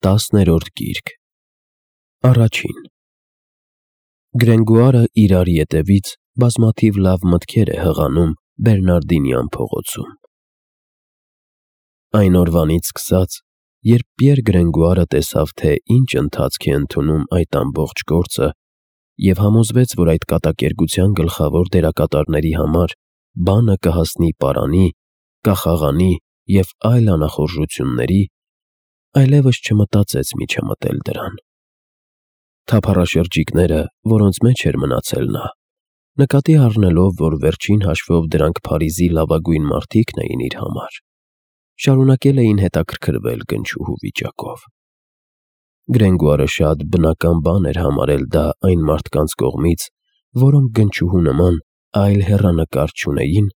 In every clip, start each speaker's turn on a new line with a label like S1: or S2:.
S1: 10-րդ գիրք Առաջին Գրենգուարը իրար ետևից բազմաթիվ լավ մտքեր է հղանում Բերնարդինյան փողոցում։ Այն օրվանից սկսած, երբ Պիեր Գրենգուարը տեսավ, թե ինչ ընթացք է ընդունում այդ ամբողջ գործը, և համոզվեց, որ այդ կատակերգության գլխավոր դերակատարների համար բանը կհասնի պարանի, կախաղանի և այլ անախորժությունների, այլևս չմտածեց միջամտել դրան։ Թափառաշրջիկները, որոնց մեջ էր մնացել նա, նկատի առնելով, որ վերջին հաշվով դրանք Փարիզի լավագույն մարդիկն էին իր համար, շարունակել էին հետաքրքրվել գնչուհու վիճակով։ Գրենգուարը շատ բնական բան էր համարել դա այն մարդկանց կողմից, որոնք գնչուհու նման այլ հեռանկար չունեին,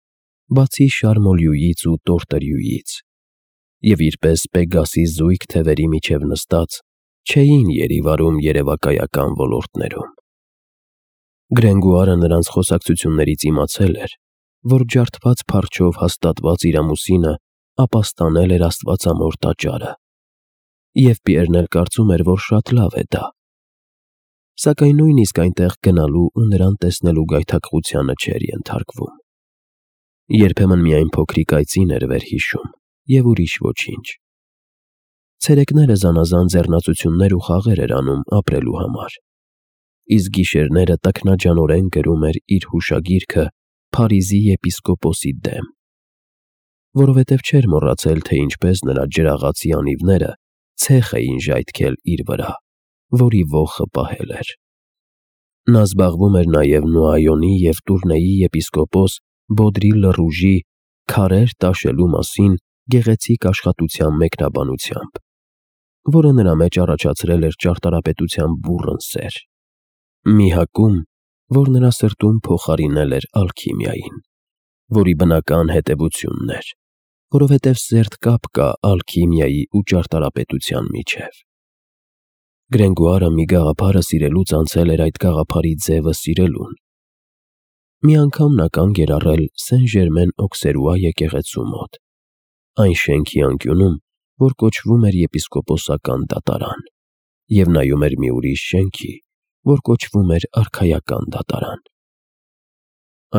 S1: բացի Շարմոլյուից ու Տորտերյուից, և իրպես Պեգասի զույգ թևերի միջև նստած, չէին երիվարում երևակայական ոլորտներում։ Գրենգուարը նրանց խոսակցություններից իմացել էր, որ ջարդված փարչով հաստատված իր ամուսինը ապաստանել էր աստվածամոր տաճարը, և Պիերն էլ կարծում էր, որ շատ լավ է դա, սակայն նույնիսկ այնտեղ գնալու ու նրան տեսնելու գայթակղությանը չէր ենթարկվում։ Երբեմն միայն փոքրիկ այծին էր վերհիշում և ուրիշ ոչինչ։ Ցերեկները զանազան ձեռնածություններ ու խաղեր էր անում ապրելու համար, իսկ գիշերները տքնաջանորեն գրում էր իր հուշագիրքը Փարիզի եպիսկոպոսի դեմ, որովհետև չէր մոռացել, թե ինչպես նրա ջրաղացի անիվները ցեխ էին ժայթքել իր վրա, որի ոխը պահել էր։ Նա զբաղվում էր նաև Նոայոնի և Տուրնեի եպիսկոպոս Բոդրի Լռուժի քարեր տաշելու մասին գեղեցիկ աշխատության մեկնաբանությամբ, որը նրա մեջ առաջացրել էր ճարտարապետության բուռն սեր, մի հակում, որ նրա սրտում փոխարինել էր ալքիմիային, որի բնական հետևությունն էր, որովհետև սերտ կապ կա ալքիմիայի ու ճարտարապետության միջև։ Գրենգուարը մի գաղափարը սիրելուց անցել էր այդ գաղափարի ձևը սիրելուն։ Մի անգամ նա կանգ էր առել Սեն-Ժերմեն-Օքսերուա եկեղեցու մոտ, այն շենքի անկյունում, որ կոչվում էր եպիսկոպոսական դատարան, և նայում էր մի ուրիշ շենքի, որ կոչվում էր արքայական դատարան։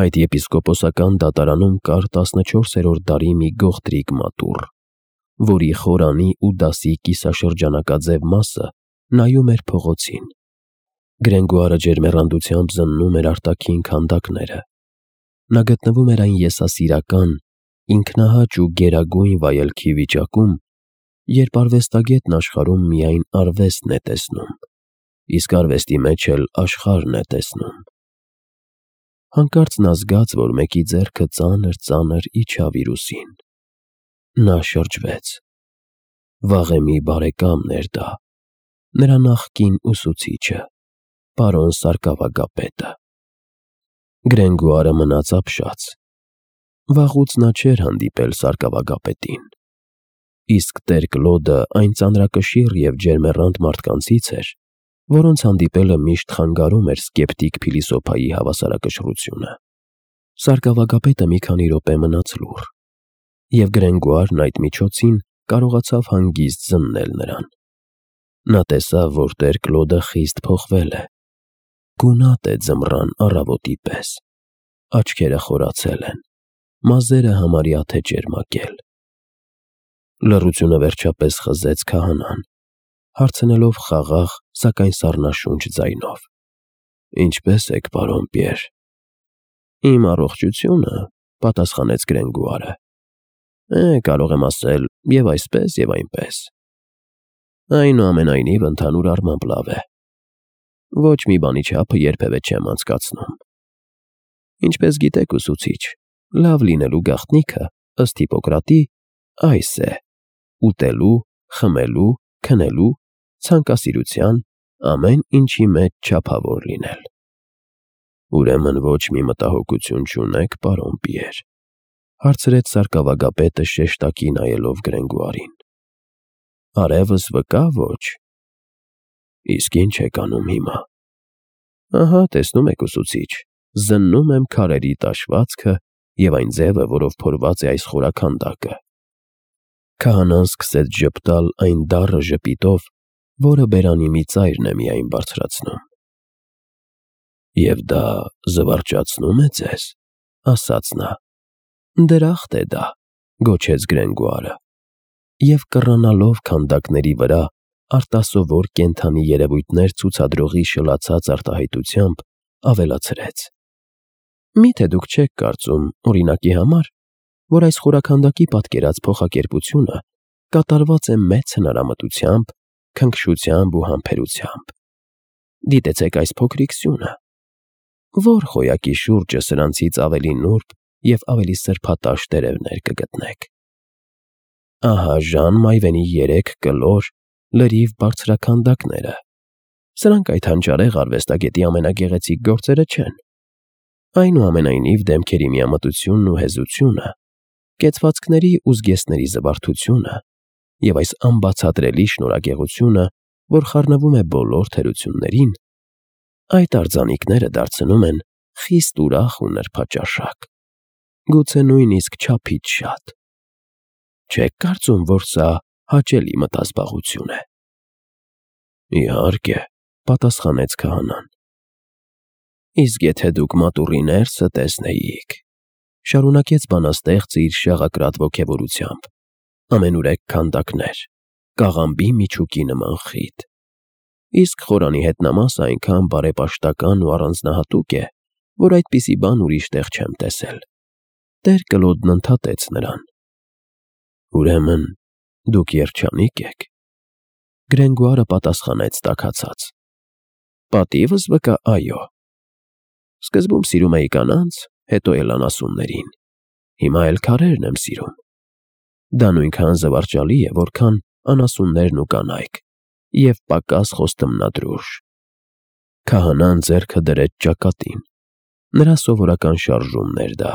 S1: Այդ եպիսկոպոսական դատարանում կար 14-րդ դարի մի գողտրիկ մատուռ, որի խորանի ու դասի կիսաշրջանակաձև մասը նայում էր փողոցին։ Գրենգուարը ջերմեռանդությամբ զննում էր արտաքին քանդակները։ Նա գտնվում էր այն եսասիրական, ինքնահաճ ու գերագույն վայելքի վիճակում, երբ արվեստագետն աշխարհում միայն արվեստն է տեսնում, իսկ արվեստի մեջ էլ աշխարհն է տեսնում։ Հանկարծ նա զգաց, որ մեկի ձեռքը ծանր իջավ իր ուսին։ Նա շրջվեց։ Վաղեմի բարեկամն էր դա, նրա նախկին ուսուցիչը, պարոն սարկավագապետը։ Գրենգուարը մնաց ապշած։ Վաղուց նա չէր հանդիպել սարկավագապետին, իսկ տեր Կլոդը այն ծանրակշիռ և ջերմեռանդ մարդկանցից էր, որոնց հանդիպելը միշտ խանգարում էր սկեպտիկ փիլիսոփայի հավասարակշռությունը։ Սարկավագապետը մի քանի րոպե մնաց լուռ, և Գրենգուարն այդ միջոցին կարողացավ հանգիստ զննել նրան։ Նա տեսավ, որ տեր Կլոդը խիստ փոխվել է, գունատ է ձմռան առավոտի պես, աչքերը խորացել են, մազերը համարյա թե ճերմակել։ Լռությունը վերջապես խզեց քահանան, հարցնելով խաղաղ, սակայն սառնաշունչ ձայնով. «Ինչպե՞ս եք, պարոն Պիեր»։ «Իմ առողջությունը», պատասխանեց Գրենգուարը, «կարող եմ ասել և այսպես, և այնպես։ Այնուամենայնիվ, ընդհանուր առմամբ լավ է։ Ոչ մի բանի չափը երբևէ չեմ անցկացնում։ Ինչպես գիտեք, ուսուցիչ, լավ լինելու գաղտնիքը, ըստ Հիպոկրատի, այս է. ուտելու, խմելու, քնելու, ցանկասիրության, ամեն ինչի մեջ չափավոր լինել»։ «Ուրեմն ոչ մի մտահոգություն չունեք, պարոն Պիեր», հարցրեց սարկավագապետը շեշտակի նայելով Գրենգուարին։ «Արևս վկա, ոչ»։ «Իսկ ի՞նչ եք անում հիմա»։ «Ահա, տեսնում եք, ուսուցիչ, զննում եմ քարերի տաշվածքը և այն ձևը, որով փորված է այս խորաքանդակը»։ Քահանան սկսեց ժպտալ այն դառը ժպիտով, որը բերանի մի ծայրն է միայն բարձրացնում։ «Եվ դա զվարճացնում է ձեզ», ասաց նա։ «Դրախտ է դա», գոչեց Գրենգոարը, և կռանալով քանդակների վրա արտասովոր կենդանի երևույթներ ցուցադրողի շլացած արտահայտությամբ ավելացրեց. «Միթե դուք չեք կարծում, օրինակի համար, որ այս խորաքանդակի պատկերած փոխակերպությունը կատարված է մեծ հնարամտությամբ, քնքշությամբ ու համբերությամբ։ Դիտեցեք այս փոքրիկ սյունը։ Ո՞ր խոյակի շուրջը սրանցից ավելի նուրբ և ավելի սրբատաշ տերևներ կգտնեք։ Ահա Ժան Մայվենի 3 կլոր, լրիվ բարձրաքանդակները։ Սրանք այդ հանճարեղ արվեստագետի ամենագեղեցիկ գործերը չեն։ Այնուամենայնիվ դեմքերի միամտությունն ու հեզությունը, կեցվածքների ու զգեստների զվարթությունը և այս անբացատրելի շնորհագեղությունը, որ խառնվում է բոլոր թերություններին, այդ արձանիկները դարձնում են խիստ ուրախ ու նրբաճաշակ, գուցե նույնիսկ չափից շատ։ Չեք կարծում, որ սա հաճելի մտազբաղություն է»։ «Իհարկե», պատասխանեց քահանան։ «Իսկ եթե դուք մատուռի ներսը տեսնեիք», շարունակեց բանաստեղծը իր շաղակրատ ոգևորությամբ, «ամենուրեք քանդակներ, կաղամբի միջուկի նման խիտ։ Իսկ խորանի հետնամասը այնքան բարեպաշտական ու առանձնահատուկ է, որ այդպիսի բան ուրիշ տեղ չեմ տեսել»։ Տեր Կլոդն ընդհատեց նրան. «Ուրեմն դուք երջանիկ եք»։ Գրենգոարը պատասխանեց տաքացած. «Պատիվս վկա, այո։ Սկզբում սիրում էի կանանց, հետո էլ անասուններին, հիմա էլ քարերն եմ սիրում։ Դա նույնքան զվարճալի է, որքան անասուններն ու կանայք, և պակաս խոստմնադրուժ»։ Քահանան ձեռքը դրեց ճակատին։ Նրա սովորական շարժումն էր դա։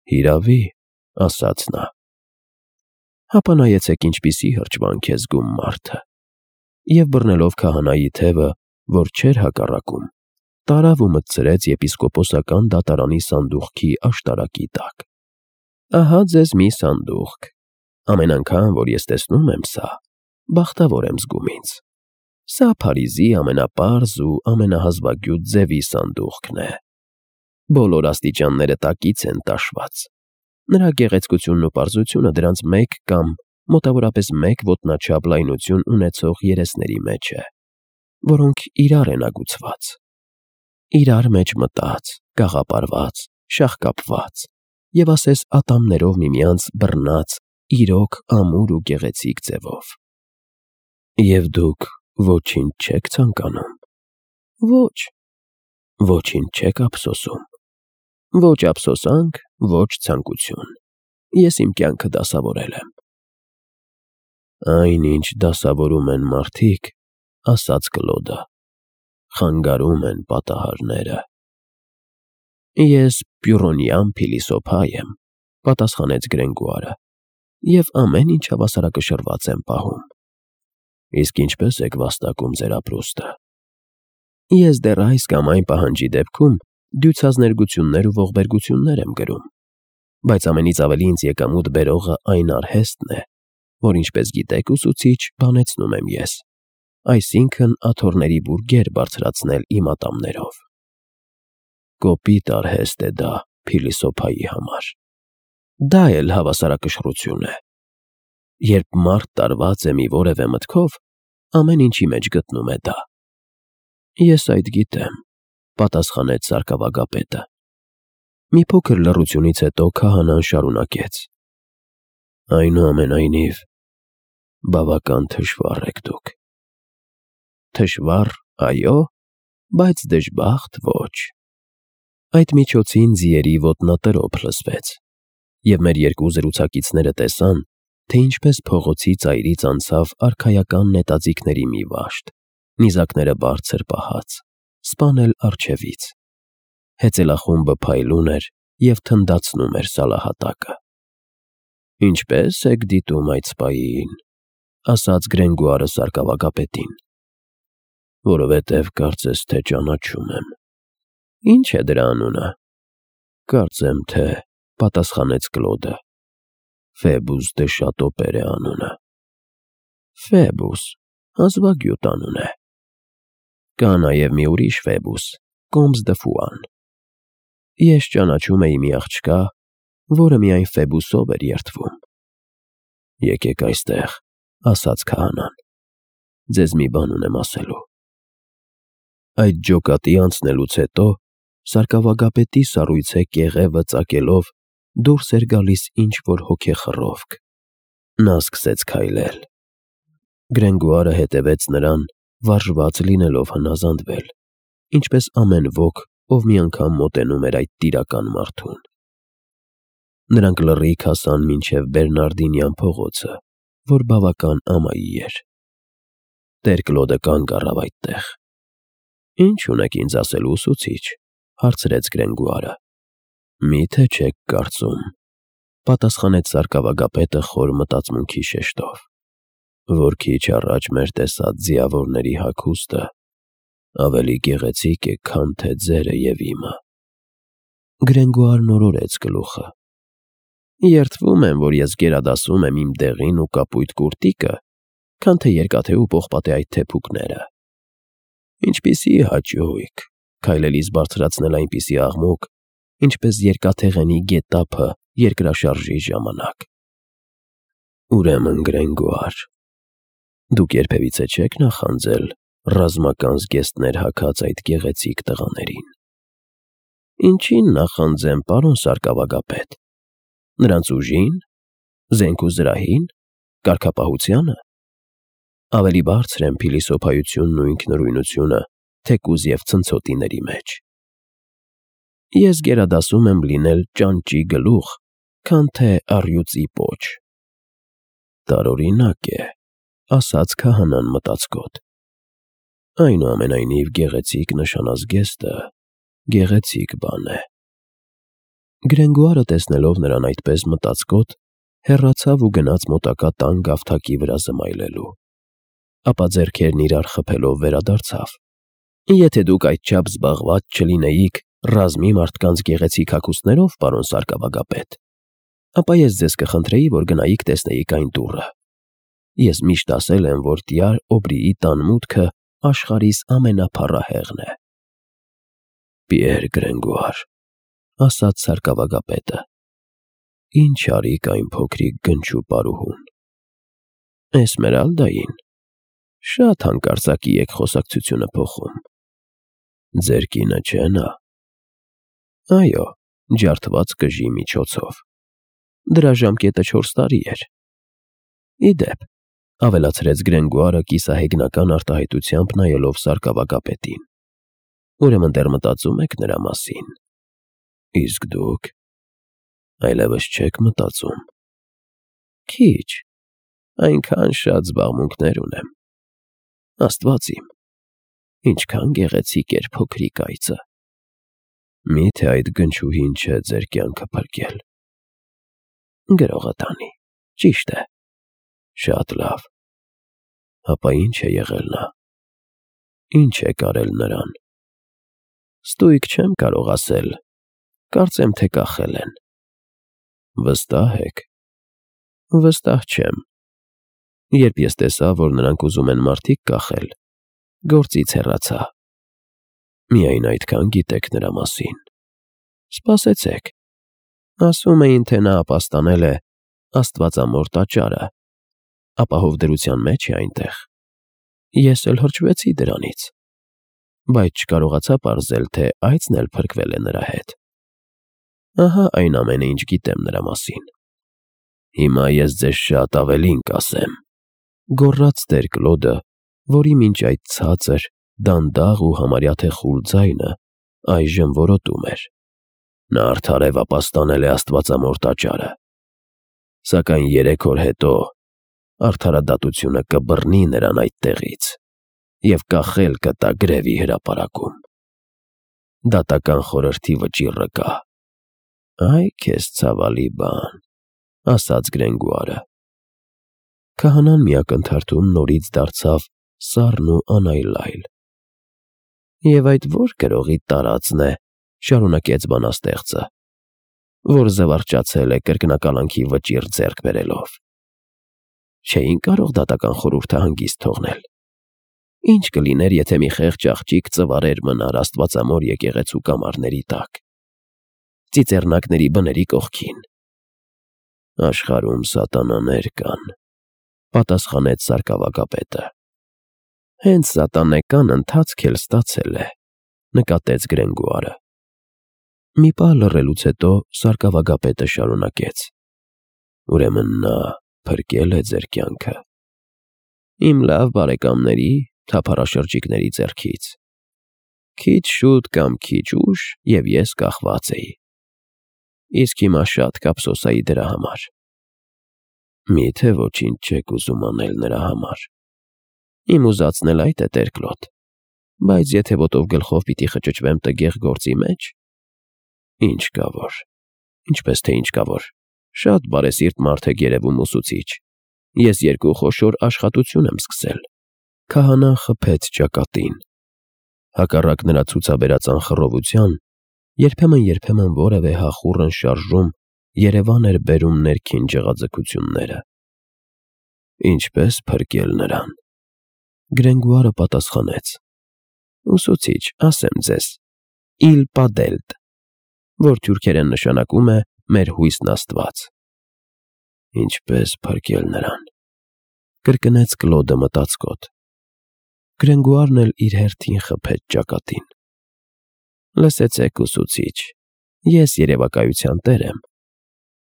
S1: «Հիրավի», ասաց նա։ «Հապա նայեցեք ինչպիսի հրճվանք է զգում մարդը»։ Եվ բռնելով քահանայի թևը, որ չէր հակառակում, տարավ ու մտցրեց եպիսկոպոսական դատարանի սանդուղքի աշտարակի տակ։ «Ահա ձեզ մի սանդուղք։ Ամեն անգամ, որ ես տեսնում եմ սա, բախտավոր եմ զգում ինձ։ Սա Փարիզի ամենապարզ ու ամենահազվագյուտ ձևի սանդուղքն է։ Բոլոր աստիճանները տակից են տաշված։ Նրա գեղեցկությունն ու պարզությունը դրանց մեկ կամ մոտավորապես մեկ ոտնաչափ լայնություն ունեցող երեսների մեջ է, որոնք իրար են ագուցված, իրար մեջ մտած, գաղապարված, շաղկապված և ասես ատամներով միմյանց բռնած իրոք ամուր ու գեղեցիկ ձևով։ Եվ դուք ոչինչ չեք ցանկանում։ Ոչ։ Ոչինչ չեք ափսոսում։ Ոչ ափսոսանք, ոչ ցանկություն։ Ես իմ կյանքը դասավորել եմ»։ «Այն, ինչ դասավորում են մարդիկ, ասաց Կլոդը, խանգարում են պատահարները»։ «Ես պյուրոնյան փիլիսոփա եմ», պատասխանեց Գրենգոարը, «և ամեն ինչ հավասարակշռված եմ պահում»։ «Իսկ ինչպե՞ս եք վաստակում ձեր ապրուստը»։ «Ես դեռ այս կամ այն պահանջի դեպքում դյուցազներգություններ ու ողբերգություններ եմ գրում, բայց ամենից ավելի ինձ եկամուտ բերողը այն արհեստն է, որ, ինչպես գիտեք, ուսուցիչ բանեցնում եմ ես, այսինքն աթոռների բուրգեր բարձրացնել իմ ատամներով։ Կոպիտ արհեստ է դա փիլիսոփայի համար։ Դա էլ հավասարակշռություն է։ Երբ մարդ տարված է մի որևէ մտքով, ամեն ինչի մեջ գտնում է դա»։ «Ես այդ գիտեմ», պատասխանեց սարկավագապետը։ Մի փոքր լռությունից հետո քահանան շարունակեց. «Այնուամենայնիվ, բավական թշվառ եք դուք»։ «Թշվառ, այո, բայց դժբախտ ոչ»։ Այդ միջոցին ձիերի ոտնատրոփ լսվեց, և մեր երկու զրուցակիցները տեսան, թե ինչպես փողոցի ծայրից անցավ արքայական նետաձիգների մի վաշտ, նիզակները բարձր պահած, սպանել առջևից։ Հեծելախումբը փայլուն էր և թնդացնում էր սալահատակը։ «Ինչպե՞ս եք դիտում այդ սպային», ասաց Գրենգոարը սարկավագապետին։ «Որովհետև կարծես թե ճանաչում եմ»։ «Ինչ է դրա անունը»։ «Կարծեմ թե», պատասխանեց Կլոդը, Ֆեբուս դե Շատոպեր է անունը։ Ֆեբուս, հազվագյուտ անուն է։ Կա նաև մի ուրիշ Ֆեբուս, Կոմս դը Ֆուան։ Ես ճանաչում էի մի աղջկա, որը միայն Ֆեբուսով էր երդվում։ Եկեք այստեղ, ասաց քահանան, ձեզ մի բան ունեմ ասելու։ Այդ ջոկատի անցնելուց հետո սարկավագապետի սառույցե կեղևը ծակելով դուրս էր գալիս ինչ-որ հոգեխռովք։ Նա սկսեց քայլել։ Գրենգուարը հետևեց նրան, վարժված լինելով հնազանդվել, ինչպես ամեն ոք, ով մի անգամ մոտենում էր այդ տիրական մարդուն։ Նրանք լռիկ հասան մինչև Բերնարդինյան փողոցը, որ բավական ամայի էր։ Տեր Կլոդը կանգ առավ այդտեղ։ Ինչ ունեք ինձ ասելու, ուսուցիչ, հարցրեց Գրենգուարը։ Միթե չեք կարծում, պատասխանեց սարկավագապետը խոր մտածմունքի շեշտով, որ քիչ առաջ մեր տեսած ձիավորների հագուստը ավելի գեղեցիկ է, քան թե ձերը և իմը։ Գրենգուարն օրորեց գլուխը։ Երդվում եմ, որ ես գերադասում եմ իմ դեղին ու կապույտ կուրտիկը, քան թե երկաթե ու պողպատե այդ թեփուկները։ Ինչպիսի հաճույք, քայլելիս բարձրացնել այնպիսի աղմուկ, ինչպես երկաթեղենի գետափը երկրաշարժի ժամանակ։ Ուրեմն Գրենգուար, դուք երբևիցե չեք նախանձել ռազմական զգեստներ հագած այդ գեղեցիկ տղաներին։ Ինչին նախանձեմ, պարոն սարկավագապետ։ Նրանց ուժին, զենք ու զրահին, կարգապահությանը։ Ավելի բարձր են փիլիսոփայությունն ու ինքնուրույնությունը, թեկուզ և ցնցոտիների մեջ։ Ես գերադասում եմ լինել ճանճի գլուխ, քան թե առյուծի պոչ։ Տարօրինակ է, ասաց քահանան մտածկոտ։ Այնուամենայնիվ գեղեցիկ նշանազգեստը գեղեցիկ բան է։ Գրենգուարը տեսնելով նրան այդպես մտածկոտ, հեռացավ ու գնաց մոտակա տան գավթակի վրա զմայլելու։ Ապա ձեռքերն իրար խփելով վերադարձավ։ Եթե դուք այդչափ զբաղված չլինեիք ռազմի մարդկանց գեղեցիկ հագուստներով, պարոն սարկավագապետ, ապա ես ձեզ կխնդրեի, որ գնայիք տեսնեիք այն դուռը։ Ես միշտ ասել եմ, որ Տյար Օբրիի տան մուտքը աշխարհիս ամենափառահեղն է։ Պիեր Գրենգուար, ասաց սարկավագապետը, ինչ արիք այն փոքրիկ գնչու պարուհուն։ Էսմերալդային, շատ հանկարծակի եք խոսակցությունը փոխում։ Ձեր կինը չէ նա։ Այո, ջարդված կժի միջոցով։ Դրա ժամկետը 4 տարի էր։ Ի դեպ, ավելացրեց Գրենգուարը կիսահեգնական արտահայտությամբ նայելով սարկավագապետին։ Ուրեմն դեռ մտածում եք նրա մասին։ Իսկ դուք այլևս չեք մտածում։ Քիչ, այնքան շատ զբաղմունքներ ունեմ։ Աստված իմ, ինչքան գեղեցիկ էր փոքրիկ այծը։ Միթե այդ գնչուհին չէ ձեր կյանքը փրկել։ Գրողը տանի, ճիշտ է։ Շատ լավ։ Հապա ինչ է եղել նա։ Ինչ է կարել նրան։ Ստույգ չեմ կարող ասել, կարծեմ թե կախել են։ Վստահ եք։ Վստահ չեմ։ Երբ ես տեսա, որ նրանք ուզում են մարդիկ կախել, գործից հեռացա։ Միայն այդքան գիտեք նրա մասին։ Սպասեցեք։ Ասում էին, թե նա ապաստանել է Աստվածամոր տաճարը, ապահով դրության մեջ է այնտեղ։ Ես էլ հրճվեցի դրանից, բայց չկարողացա պարզել, թե այծն էլ փրկվել է նրա հետ։ Ահա այն ամենը, ինչ գիտեմ նրա մասին։ Հիմա ես ձեզ շատ ավելին կասեմ, գոռաց Տեր Կլոդը, որի մինչ այդ ցածր, դանդաղ ու համարյա թե խուլ ձայնը այժմ որոտում էր։ Նա արդարև ապաստանել է Աստվածամոր տաճարը։ Սակայն 3 օր հետո արդարադատությունը կբռնի նրան այդ տեղից և կախել կտա գրևի հրապարակում։ Դատական խորհրդի վճիռը կա։ Այ քեզ ցավալի բան, ասաց Գրենգուարը։ Քահանան մի ակնթարթում նորից դարձավ սառն ու անայլայլ։ Եվ այդ ո՞ր գրողի տարածն է, շարունակեց բանաստեղծը, որ զվարճացել է կրկնակալանքի վճիռ ձեռք բերելով։ Չէին կարող դատական խորհուրդը հանգիստ թողնել։ Ինչ կլիներ, եթե մի խեղճ աղջիկ ծվարեր մնար Աստվածամոր եկեղեցու կամարների տակ, ծիծեռնակների բների կողքին։ Աշխարհում սատանաներ կան, պատասխանեց սարկավագապետը։ Հենց սատանեկան ընթացք էլ ստացել է, նկատեց Գրենգուարը։ Մի պահ լռելուց հետո սարկավագապետը շարունակեց. Ուրեմն նա փրկել է ձեր կյանքը։ Իմ լավ բարեկամների, թափառաշրջիկների ձեռքից։ Քիչ շուտ կամ քիչ ուշ և ես կախված էի։ Իսկ հիմա շատ կափսոսայի դրա համար։ Միթե ոչինչ չեք ուզում անել նրա համար։ Իմ ուզածն էլ այդ է, տեր-Կլոդ, բայց եթե ոտով գլխով պիտի խճճվեմ տգեղ գործի մեջ, ինչ կա որ, ինչպես թե ինչ կա որ, շատ բարեսիրտ մարդ եք երևում ուսուցիչ, ես երկու խոշոր աշխատություն եմ սկսել։ Քահանան խփեց ճակատին։ Հակառակ նրա ցուցաբերած անխռովության, երբեմն որևէ հախուռն շարժում երևան էր բերում ներքին ջղաձգությունները։ Ինչպես փրկել նրան։ Գրենգուարը պատասխանեց. Ուսուցիչ, ասեմ ձեզ, իլ պադելտ, որ թուրքերեն նշանակում է մեր հույսն Աստված։ Ինչպես փրկել նրան, կրկնեց Կլոդը մտածկոտ։ Գրենգուարն էլ իր հերթին խփեց ճակատին։ Լսեցեք, ուսուցիչ, ես երևակայության տեր եմ։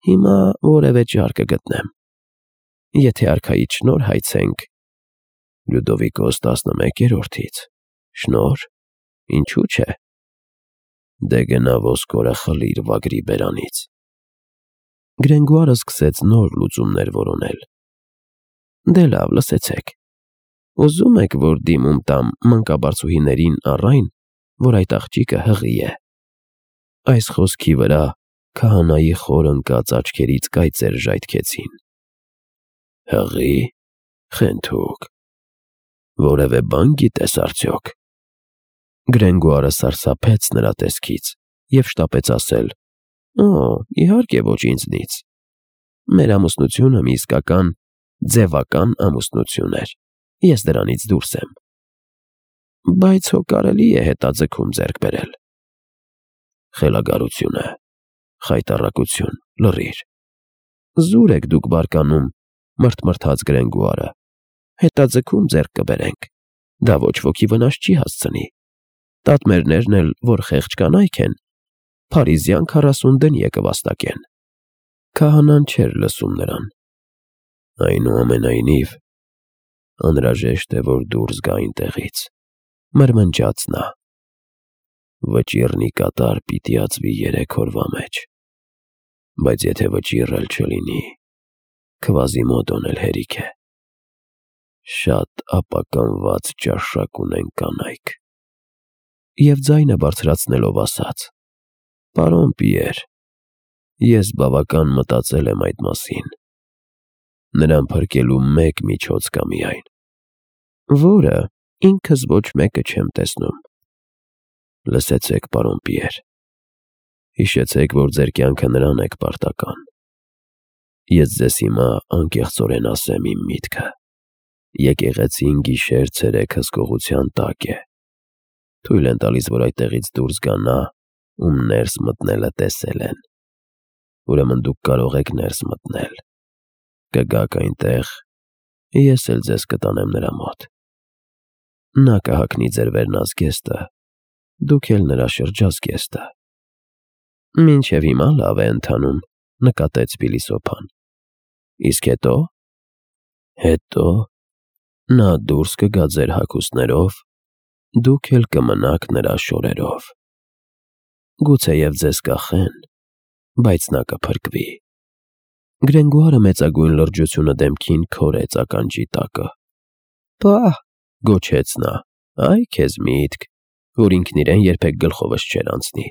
S1: Հիմա որևէ ճար կգտնեմ։ Եթե արքայից շնորհ հայցենք, Լյուդովիկոս 11-րդից, շնորհ, ինչու՞ չէ։ Դե գնա ոսկորը խլիր վագրի բերանից։ Գրենգուարը սկսեց նոր լուծումներ որոնել։ Դե լավ, լսեցեք։ Ուզում եք, որ դիմում տամ մանկաբարձուհիներին առ այն, որ այդ աղջիկը հղի է։ Այս խոսքի վրա քահանայի խոր ընկած աչքերից կայծեր ժայթքեցին։ Հղի, խենթուկ, որևէ բան գիտես արդյոք։ Գրենգուարը սարսափեց նրա տեսքից և շտապեց ասել. Օ, իհարկե ոչ ինձնից։ Մեր ամուսնությունը մի իսկական ձևական ամուսնություն էր, ես դրանից դուրս եմ։ Բայց հո կարելի է հետաձգում ձեռք բերել։ Խելագարություն է, խայտառակություն, լռիր։ Զուր եք դուք բարկանում, մրթմրթաց Գրենգուարը։ Հետաձգում ձեռք կբերենք, դա ոչ ոքի վնաս չի հասցնի։ Տատմերներն էլ, որ խեղճ կանայք են, փարիզյան 40 դնյե կվաստակեն։ Քահանան չէր լսում նրան։ Այնուամենայնիվ, անհրաժեշտ է, որ դուրս գա այնտեղից, մրմնջաց նա։ Վճիռնի կատար պիտի ածվի 3 օրվա մեջ, բայց եթե վճիռ էլ չլինի, Քվազիմոդոն էլ հերիք է։ Շատ ապականված ճաշակ ունեն կանայք։ Եվ ձայնը բարձրացնելով ասաց. Պարոն Պիեր, ես բավական մտածել եմ այդ մասին։ Նրան փրկելու մեկ միջոց կա միայն։ Որը ինքս ոչ մեկը չեմ տեսնում։ Լսեցեք, պարոն Պիեր, հիշեցեք, որ ձեր կյանքը նրան եք պարտական։ Ես ձեզ հիմա անկեղծորեն ասեմ իմ միտքը։ Եկեղեցին գիշեր-ցերեկ հսկողության տակ է։ Թույլ են տալիս, որ այդտեղից դուրս գա նա, ում ներս մտնելը տեսել են։ Ուրեմն դուք կարող եք ներս մտնել։ Կգաք այնտեղ, ես էլ ձեզ կտանեմ նրա մոտ։ Նա կհագնի ձեր վերնազգեստը, դուք էլ նրա շրջազգեստը։ Մինչև հիմա լավ է ընթանում, նկատեց փիլիսոփան։ Իսկ հետո։ Հետո նա դուրս կգա ձեր հագուստներով, դուք էլ կմնաք նրա շորերով։ Գուցեև ձեզ կախեն, բայց նա կփրկվի։ Գրենգուարը մեծագույն լրջությունը դեմքին քորեց ականջի տակը։ Պահ, գոչեց նա, այ քեզ միտք, որ ինքն իրեն երբեք գլխովս չէր անցնի։